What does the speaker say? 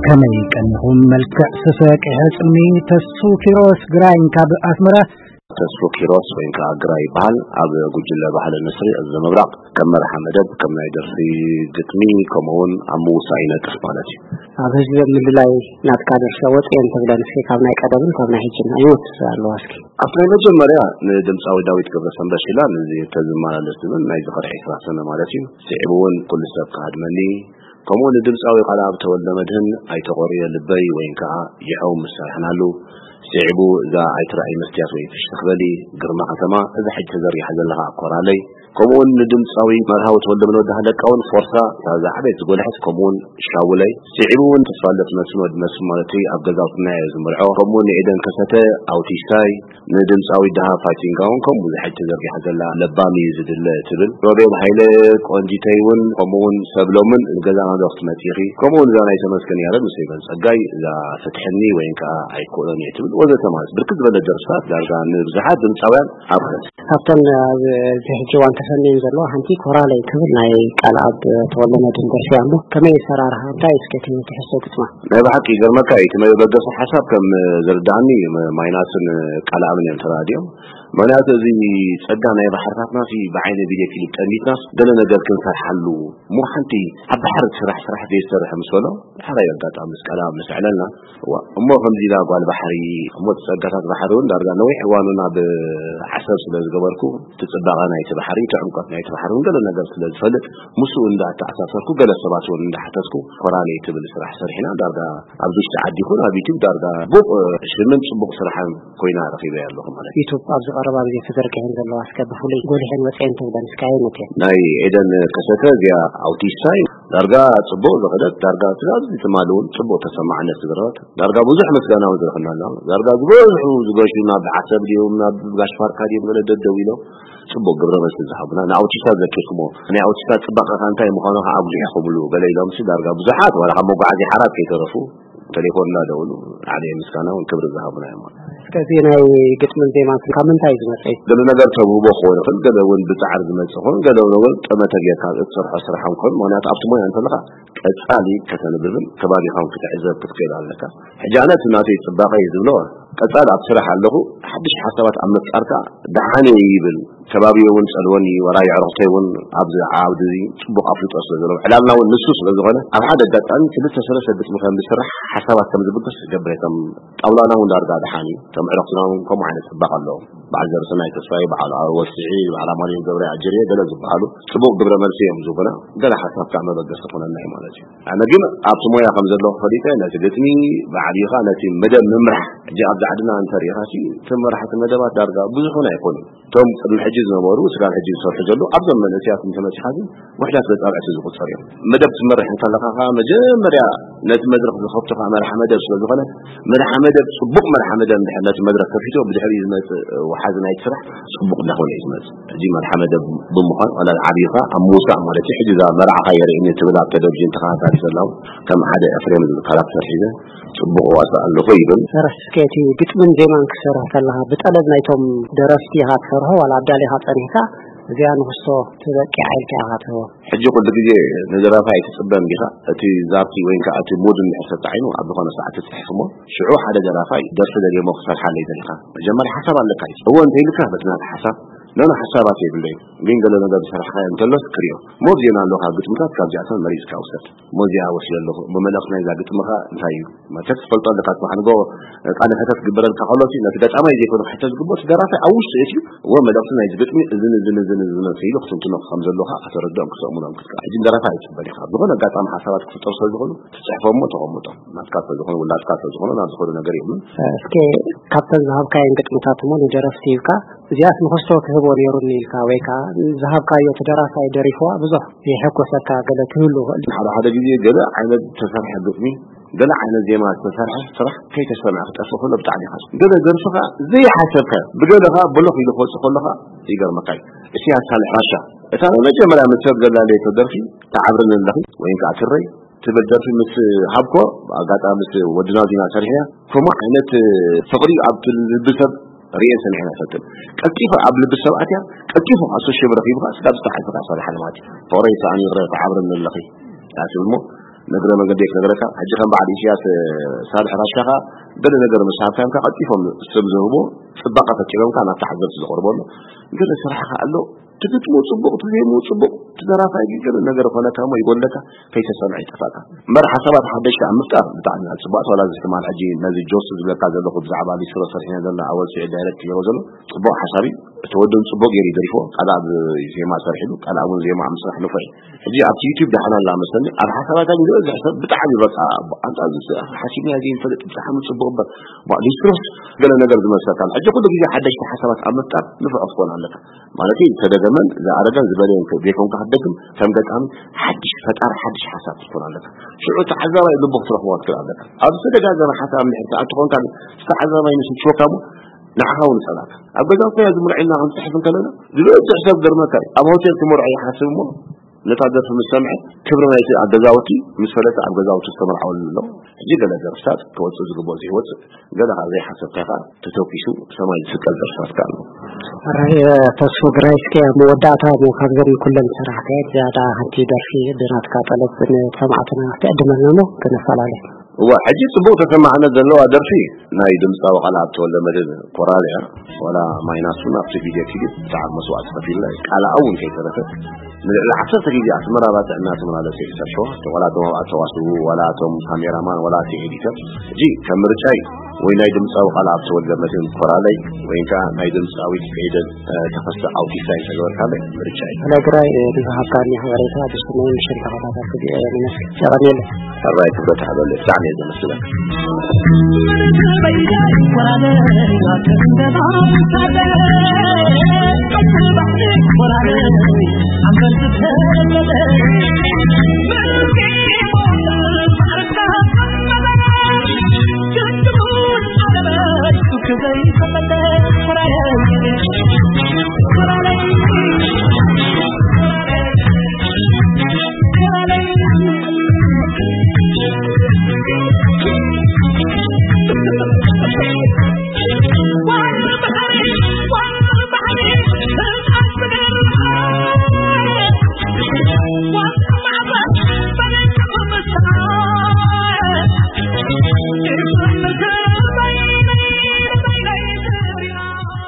ከመይ ቀኒኹም? መልክዕ ስሰ ቅሐ ጽልሚ። ተስፉ ኪሮስ ግራኝ ካብ ኣስመራ። ተስፉ ኪሮስ ወይ ከዓ ግራኝ ይበሃል። ኣብ ጉጅለ ባህሊ ንስሪ እዚ ምብራቕ ከም መርሓ መደብ፣ ከም ናይ ደርፊ ግጥሚ፣ ከምኡ እውን ኣብ ምውሳእ ይነጥፍ ማለት እዩ። ኣብ ህዝቢ ምልላይ ናትካ ደርሰ ወፅየን ትብለን እስኪ፣ ካብ ናይ ቀደምን ካብ ናይ ሕጅን ኣይወት ኣለዋ እስኪ። ኣብቲ ናይ መጀመርያ ንድምፃዊ ዳዊት ገብረሰንበት ሽላ፣ ነዚ ተዝመላለስ ዝብል ናይ ዝኽሪ ዕስራ ሰነ ማለት እዩ። ስዒቡ እውን ኩሉ ሰብ ክሃድመኒ፣ ከምኡ ንድምፃዊ ቃልኣብ ተወልደ መድህን ኣይተቆርየ ልበይ ወይን ከዓ ይሐው ምስ ሰርሕናሉ፣ ስዒቡ እዛ ኣይትረኣይ መስትያት ወይ ፍሽኽ በሊ፣ ግርማ ከተማ፣ እዛ ሕጂ ተዘርጊሓ ዘለኻ ኮራለይ፣ ከምኡውን ንድምፃዊ መርሃዊ ተወልደ መድህን ወዲ ሃለቃ እውን ፎርሳ፣ እታ ዝዓበየት ዝጎልሐት፣ ከምኡውን ሻውለይ፣ ስዒቡ እውን ተስፋለት መስፍን ወዲ መስፍን ማለት እዩ፣ ኣብ ገዛውትና እየ ዝምርዖ፣ ከምኡውን ንኤደን ከሰተ ኣውቲስታይ፣ ንድምፃዊ ደሃ ፋይቲንጋ እውን ከምኡ ብዙሕ ተዘርጊሓ ዘላ ለባም እዩ ዝድለ ትብል። ሮቤል ሃይለ ቆንጂተይ እውን ከምኡ እውን ሰብሎምን ገዛና ዶ ክትመፂኺ፣ ከምኡ እውን እዛ ናይ ተመስገን ያረድ ምስ ሄቨን ጸጋይ እዛ ፍትሕኒ ወይን ከዓ ኣይክእሎን እየ ትብል ወዘተ ማለት ብርክት ዝበለ ደርፍታት ዳርጋ ንብዙሓት ድምፃውያን ኣብ ካብተን ኣብዚ ሕጂ እዋን ተሰንየን ዘለዋ ሓንቲ ኮራለይ ትብል ናይ ቃልኣብ ተወልደ መድህን ደርፊ ኣሎ። ከመይ ኣሰራርሓ እንታይ እስከ ትምህርቲ ሕሶ ግጥማ? ናይ ብሓቂ ይገርመካ እዩ። እቲ መበገሲ ሓሳብ ከም ዝርድኣኒ ም-፣ ማይናስን ቃልኣብን እዮም ተራዲኦም። ምክንያቱ እዚ ጸጋ ናይ ባሕርታትና ሲ ብዓይነ ቪድዮ ክሊፕ ጠሚትናስ ገለ ነገር ክንሰርሓሉ እሞ ሓንቲ ኣብ ባሕሪ ስራሕ ስራሕ ዘይሰርሕ ምስ በሎ፣ ዳሕራይ ኣጋጣሚ ምስ ቃልኣብ ምስ ኣዕለልና፣ እዋ፣ እሞ ከምዚ ኢላ ጓል ባሕሪ፣ እሞ እቲ ጸጋታት ባሕሪ እውን ዳርጋ ነዊሕ እዋኑ ናብ ዓሰብ ስለ ዝገበርኩ፣ እቲ ጽባቐ ናይቲ ባሕሪ፣ እቲ ዕምቆት ናይቲ ባሕሪ እውን ገለ ነገር ስለ ዝፈልጥ፣ ምስኡ እንዳተኣሳሰርኩ፣ ገለ ሰባት እውን እንዳሓተትኩ፣ ኮራለይ ትብል ስራሕ ሰሪሕና፣ ዳርጋ ኣብ ውሽጢ ዓዲ ይኹን ኣብ ዩቲዩብ ዳርጋ ጽቡቕ ሽምን ጽቡቕ ስራሕን ኮይና ረኺበያ ኣለኹ ማለት እዩ። ዩቱብ ኣብዚ ቀረባ ግዜ ተዘርጊሐን ዘለዋ እስከ ብፍሉይ ጎሊሐን ወፅየን ተብለን እስከ ኣየኖት እየን? ናይ ኤደን ከሰተ እዚኣ ኣውቲስታ እዩ። ዳርጋ ጽቡቕ ዝኸደት፣ ዳርጋ ትእዛዝ ትማሊ እውን ጽቡቕ ተሰማዕነት ዝገረበት፣ ዳርጋ ብዙሕ ምስጋና እውን ዝረኽብና ኣለና። ዳርጋ ዝበዝሑ ዝገሹ ናብ ዓሰብ ድዮም ናብ ጋሽ ፋርካ ድዮም ገለ ደደው ኢሎም ጽቡቕ ግብረ መልሲ ዝሃቡና። ንኣውቲስታ ዘኪርኩሞ፣ ናይ ኣውቲስታ ጽባቐ ከ እንታይ ምዃኑ ከኣ ኣጉሊሕኩምሉ ገለ ኢሎም ሲ ዳርጋ ብዙሓት ዋላ ካብ መጓዓዝያ ሓራት ከይተረፉ ቴሌፎን እናደወሉ ዓብየ ምስጋና እውን ክብሪ ዝሃቡና እዮም። እስከ እዚ ናይ ግጥምን ዜማን ካብ ምንታይ እዩ ዝመጽእ? ገለ ነገር ተውህቦ ክኸውን ይኽእል፣ ገለ እውን ብጻዕሪ ዝመጽእ ክኸውን፣ ገለ እውን ጠመተ ጌርካ እትሰርሖ ስራሕ እውን ክኸውን። ምኽንያቱ ኣብቲ ሞያ እንተለኻ ቀጻሊ ከተንብብን ከባቢኻውን ክትዕዘብ ክትክእል ኣለካ። ሕጂ ኣነ እቲ ናተይ ጽባቐ እዩ ዝብሎ፣ ቀጻሊ ኣብ ስራሕ ኣለኹ፣ ሓድሽ ሓሳባት ኣብ ምፍጣርካ ደሓነ ይብል። ከባቢ እውን ጸልወኒ፣ ወላ የዕሩኽተይ እውን ኣብዚ ዓውዲ እዚ ጽቡቕ ኣፍልጦ ስለ ዘለዎም፣ ዕላልና እውን ንሱ ስለ ዝኾነ፣ ኣብ ሓደ ኣጋጣሚ ክልተ ሰለስተ ግጥሚ ከም ዝስራሕ ሓሳባት ከም ዝብገስ ዝገብር እየ። ከም ጣውላና እውን ዳርጋ ደሓን እዩ። ከም ዕረፍትና እውን ከምኡ ዓይነት ጽባቐ ኣለዎም። በዓል ዘርሰናይ ተስፋዬ፣ በዓል ወስዒ፣ በዓል ኣማኑኤል ገብረ ኣጀርየ ገለ ዝበሃሉ ጽቡቕ ግብረ መልሲ እዮም ዝህቡና። ገለ ሓሳብ ከዓ መበገሲ ይኾነና እዩ ማለት እዩ። ኣነ ግን ኣብቲ ሞያ ከም ዘለኹ ፈሊጠ ነቲ ግጥሚ ባዕልኻ ነቲ መደብ ምምራሕ። ሕጂ ኣብዚ ዓድና እንተሪኢኻ ሲ፣ እቶም መራሕቲ መደባት ዳርጋ ብዙሑን ኣይኮኑን። እቶም ቅድሚ ሕጂ ዝነበሩ፣ ስጋብ ሕጂ ዝሰርሑ ዘለዉ፣ ኣብዞም መንእሰያት እንተመጺኻ ግን ውሕዳት በጻብዕቲ ዝቑጸሩ እዮም። መደብ ትመርሕ እንከለኻ ኸኣ መጀመርያ ነቲ መድረኽ ዝኸፍቶ ኸኣ መርሓ መደብ ስለ ዝኾነ፣ መርሓ መደብ፣ ጽቡቕ መርሓ መደብ እንድሕር ነቲ መድረኽ ከፊትዎ፣ ብድሕሪኡ ዝመጽእ ወሓዚ ናይቲ ስራሕ ጽቡቕ እንዳኾነ እዩ ዝመጽእ። ሕጂ መርሓ መደብ ብምዃን፣ ዋላ ዓብይኻ ኣብ ምውሳእ ማለት እዩ። ሕጂ እዛ መርዓኻ የርእየኒ ትብል ኣብ ቴሌቪዥን ተኸታታሊ ዘላ፣ ከም ሓደ ኤፍሬም ዝብል ካራክተር ሒዘ ጽቡቕ ዋሳእ ኣለኹ ይብል። ሰራሕ እስከ እቲ ግጥምን ዜማን ክትሰርሕ ከለኻ ብጠለብ ናይቶም ደረፍቲ ኢኻ ትሰርሖ ዋላ ኣዳሊኻ ጸኒሕካ እዚኣ ንኽስቶ ትበቂዓ ኢልካ ኢኻ ትህቦ? ሕጂ ኩሉ ግዜ ንደራፋይ ኣይትጽበን ዲኻ? እቲ ዛርቲ ወይ ከዓ እቲ ሙድ እንድሕር ሰጣዒኑ ኣብ ዝኾነ ሰዓት ትጽሕፍ እሞ ሽዑ ሓደ ደራፋይ ደርፊ ደልየሞ ክሰርሓለይ ደሊኻ መጀመርያ ሓሳብ ኣለካ እዩ። እዎ እንተኢልካ በቲ ናትካ ሓሳብ ኖኖ ሓሳባት የብለይን ግን ገለ ነገር ዝሰራሕካዮ እንተሎስ ክሪኦ እሞ ብዜና ኣለኻ ግጥምታት ካብዚኣተን መሪጽካ ውሰድ። እሞ እዚኣ ወሲደ ኣለኹ። እሞ መልእኽቲ ናይዛ ግጥምኻ እንታይ እዩ? መቸስ ትፈልጦ ኣለካ፣ ጽባሕ ንግሆ ቃለ መሕተት ክግበረልካ ከሎ፣ ነቲ ገጣማይ ዘይኮነ ክሕተት ዝግብኦ፣ እቲ ደራፋይ ኣብ ውሽጡ ኣትዩ፣ እወ፣ መልእኽቲ ናይዚ ግጥሚ እዝን እዝን እዝን እዝን ክኢሉ ክትንትኖ ከም ዘለዎ ከኣ ከተረድኦም ክሰእሙሎም ክትክእል። ሕጂ ንደራፋይ ኣይትበል ኢኻ። ኣብ ዝኾነ ኣጋጣሚ ሓሳባት ክፍጠሩ ስለ ዝኾኑ፣ ትጽሕፎ እሞ ተቐምጦ። ናትካ ስለ ዝኾነ፣ ውላድካ ስለ ዝኾነ፣ ናብ ዝኾነ ነገር የብሉን። እስከ ካብተን ዝሃብካየን ግጥምታት እሞ ንደረፍቲ ሂብካ፣ እዚኣስ ንኽስቶ ክህቦ ነይሩኒ ኢልካ፣ ወይ ከኣ ዝሃብካዮ እቲ ደራፋይ ደሪፍዋ ብዙሕ የሐጎሰካ ገለ ክህሉ ይኽእል እዩ። ሓደ ሓደ ግዜ ገለ ዓይነት ዝተሰርሐ ግጥሚ፣ ገለ ዓይነት ዜማ ዝተሰርሐ ስራሕ ከይተሰምዐ ክጠፍእ ከሎ ብጣዕሚ ይሓዝን። ገለ ደርፊ ከኣ ዘይሓሰብካዮ፣ ብገለ ከኣ ብሎኽ ኢሉ ክወጽእ ከሎ ከኣ ይገርመካ እዩ። እስያስ ሳልሕ ራሻ፣ እታ መጀመርያ ምስ ሰብ ዘላለየቶ ደርፊ፣ ትዓብርኒ ኣለኺ ወይም ከኣ ትረይ ትብል ደርፊ ምስ ሃብኮ፣ ኣጋጣሚ ምስ ወዲ ናዚና ሰሪሕና፣ ከምኡ ዓይነት ፍቕሪ ኣብቲ ልቢ ሰብ ርእየን ሰሚዐን ኣይፈልጥን። ቀልጢፋ ኣብ ልቢ ሰብ ኣትያ፣ ቀልጢፉ ከኣ ሶሻል ረኺቡ ከኣ ስጋብ ዝተሓልፈ ከኣ ሰሪሓ ማለት እዩ። ፍቕረይ ሰኣን ይቕረ ትዓብርኒ ኣለኺ እያ ትብል እሞ፣ ነግረ መገዲ ክነግረካ። ሕጂ ከም በዓል ኢሳያስ ሳልሕ ራሻኻ ገለ ነገር ምስ ሃብካምካ ቀልጢፎም ስም ዝህቡ ጽባቐ ፈጢሮምካ ናብ ተዓዘብቲ ዝቐርበሉ ገለ ስራሕካ ኣሎ። ትግጥሙ ጽቡቕ፣ ትዜሙ ጽቡቕ፣ ትደራፋይ ግን ገለ ነገር ኮነካ እሞ ይጎለካ፣ ከይተሰምዐ ይጠፋካ። እምበር ሓሳባት ሓደሽቲ ኣብ ምፍጣር ብጣዕሚ እያ ጽቡቓት። ዋላ እዚ ትማል ሕጂ ነዚ ጆስ ዝብለካ ዘለኹ ብዛዕባ ሊስትሮ ሰሪሕና ዘለና ኣወል ስዒድ ዳይሬክት ገይሮ ዘሎ ጽቡቕ ሓሳብ እዩ። እቲ ወድን ጽቡቕ ገይሩ ይደሪፎ፣ ካልኣ ዜማ ሰሪሕሉ፣ ካልኣ እውን ዜማ ኣብ ምስራሕ ንፉዕ እዩ። ሕጂ ኣብቲ ዩቲዩብ ደሓና ኣላ መሰለኒ፣ ኣብ ሓሳባታ ግን ዝበዝሕ ሰብ ብጣዕሚ በቃ፣ ኣንታ እዚ ሓሲብና ዘይንፈልጥ ብጣዕሚ ጽቡቕ እምበር፣ ባ-፣ ሊስትሮስ ገለ ነገር ዝመስለካ ኣሎ። ሕጂ ኩሉ ግዜ ሓደሽቲ ሓሳባት ኣብ ምፍጣር ንፉዕ ክትኮን ኣለካ። ማለት ዝተደገመን ዝኣረገን ዝበለየን ዘይኮንካ ክትደግም፣ ከም ገጣሚ ሓድሽ ፈጣሪ ሓድሽ ሓሳብ ክትኮን ኣለካ። ሽዑ ተዓዛባይ ልቡ ክትረኽቦ ክትክእል ኣለካ። ኣብ ዝተደጋገመ ሓሳብ እንድሕር ትኣቱ ኮንካ ግን፣ ዝተዓዛባይ ንሱ ትሽወካ እሞ ንዓኻ እውን ይጸላእካ። ኣብ ገዛ እኮ እያ ዝምርዐና ክንጽሕፍ እንከለና፣ ዝበዝሕ ሰብ ገርመካ እዩ። ኣብ ሆቴል ክመርዖ ይሓስብ እሞ፣ ነታ ደርፊ ምስ ሰምዐ፣ ክብሪ ናይቲ ኣብ ገዛውቲ ምስ ፈለጠ ኣብ ገዛውቲ ዝተመርዓወሉ ኣሎ። ሕጂ ገለ ደርፍታት ክወጽእ ዝግብኦ ዘይወጽእ፣ ገለ ካብ ዘይሓሰብካ ከኣ ተተኩሱ ሰማይ ዝስቀል ደርፍታት ከኣ ኣሎ። ሕራይ፣ ተስፉ ግራይ፣ እስከ ኣብ መወዳእታ እሞ ካብዘን ኩለን ዝሰራሕካየን ዝያዳ ሓንቲ ደርፊ ብናትካ ጠለብ ንሰማዕትና ክትዕድመልና እሞ ክነፈላለ። እዋ፣ ሕጂ ጽቡቕ ተሰማዕነት ዘለዋ ደርፊ ናይ ድምጻዊ ቃልኣብ ተወልደመድህን ኮራል እያ። ዋላ ማይናስ እውን ኣብቲ ቪድዮ ክሊፕ ብጣዕሚ መስዋእቲ ከፊልና እዩ። ቃልኣ እውን ከይተረፈ ንልዕሊ ዓሰርተ ግዜ ኣስመራ ባጽዕ እናተመላለሰ እዩ ዝሰርሖ። ዋላ እቶም ኣብኣ ዝተዋስኡ፣ ዋላ እቶም ካሜራማን፣ ዋላ እቲ ኤዲተር። ሕጂ ከም ምርጫይ ወይ ናይ ድምጻዊ ቃልኣብ ተወልደመድህን ኮራለይ ወይ ከዓ ናይ ድምጻዊት ኤደን፣ እ፣ ተኸስተ ኣውቲስታ እንተገበርካለይ ምርጫይ። ስለ ግራይ፣ እ፣ ንዝሃብካኒ ሓበሬታ ብስመይ ምሽን ተኸታተልኩ እየ። ንመስል የቐንየለይ። ሕራይ ክብረት ሃበለይ፣ ብጣዕሚ እየ ዘመስግነካ።